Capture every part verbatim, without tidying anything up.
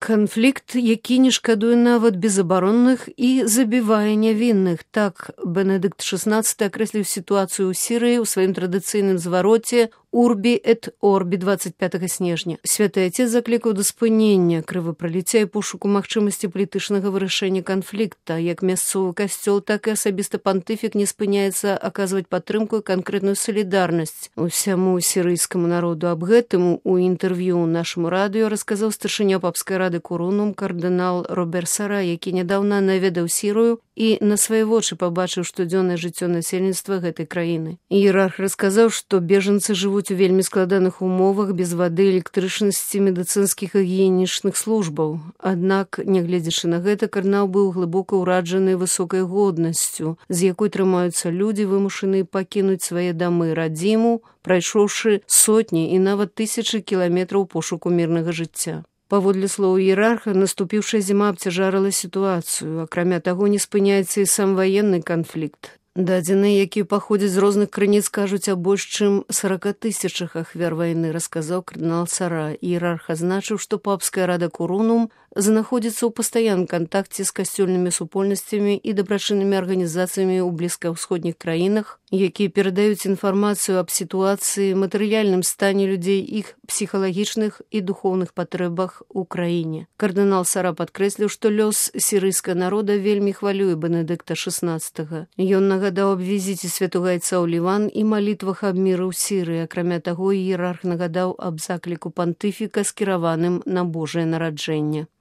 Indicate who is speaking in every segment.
Speaker 1: Канфлікт, які не шкадуе нават безабаронных і забівае нявінных. Так Бенедыкт шестнадцаты акрэсліў сітуацыю ў Сірыі ў сваім традыцыйным звароце «Урбі эт Орбі» двадцать пятага снежня. Святы Отец заклікаў да спынення крывапраліцця і пошуку магчымасці палітычнага вырашэння канфлікта. Як мясцовы касцёл, так і асабіста пантыфік не спыняецца аказваць падтрымку і канкрэтную салідарнасць усяму сірыйскаму народу. Аб гэтым у інтэрв'ю нашаму радыё расказаў старшыня папскай рады Курунум кардынал Робер Сара, які нядаўна наведаў Сірыю і на свае вочы пабачыў штодзённае жыццё насельніцтва гэтай краіны. Іерарх расказаў, што бежанцы жывуць у вельмі складаных умовах без вады, электрычнасці, медыцынскіх і гігіенічных службаў. Аднак, нягледзячы на гэта, кардынал быў глыбока ўраджаны высокай годнасцю, з якой трымаюцца людзі, вымушаныя пакінуць свае дамы, радзіму, прайшоўшы сотні і нават тысячы кіламетраў пошуку мірнага жыцця. Паводле слоў іерарха, наступіўшая зіма абцяжарыла сітуацыю. Акрамя таго, не спыняецца і сам ваенны канфлікт. Дадзеныя, якія паходзяць з розных крыніц, кажуць аб больш чым сорока тысячах ахвяр вайны, расказаў кардынал Сара. Іерарх азначыў, што папская рада Курунум знаходзіцца ў пастаянным кантакце з касцёльнымі супольнасцямі і дабрачыннымі арганізацыямі ў блізкаўсходніх краінах, якія перадаюць інфармацыю аб сітуацыі, матэрыяльным стане людзей, іх псіхалагічных і духоўных патрэбах у краіне. Кардынал Сара падкрэсліў, што лёс сірыйскага народа вельмі хвалюе Бенедыкта шестнадцатага. Ён нагадаў аб візіце святога айца ў Ліван і малітвах аб міры ў Сірыі. Акрамя таго, іерарх нагадаў аб закліку пантыфіка, скіраваным на Божае нараджэнне.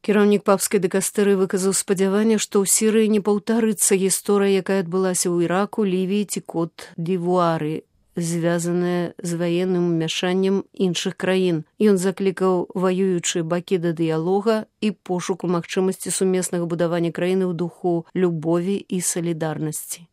Speaker 1: Кіраўнік папскай дыкастэрыі выказаў спадзяванне, што ў Сірыі не паўтарыцца гісторыя, якая адбылася ў Іраку, Лівіі ці Кот-д'Івуары, звязаная з ваенным умяшаннем іншых краін. Ён заклікаў ваюючыя бакі да дыялога і пошуку магчымасці сумеснага будавання краіны ў духу любові і салідарнасці.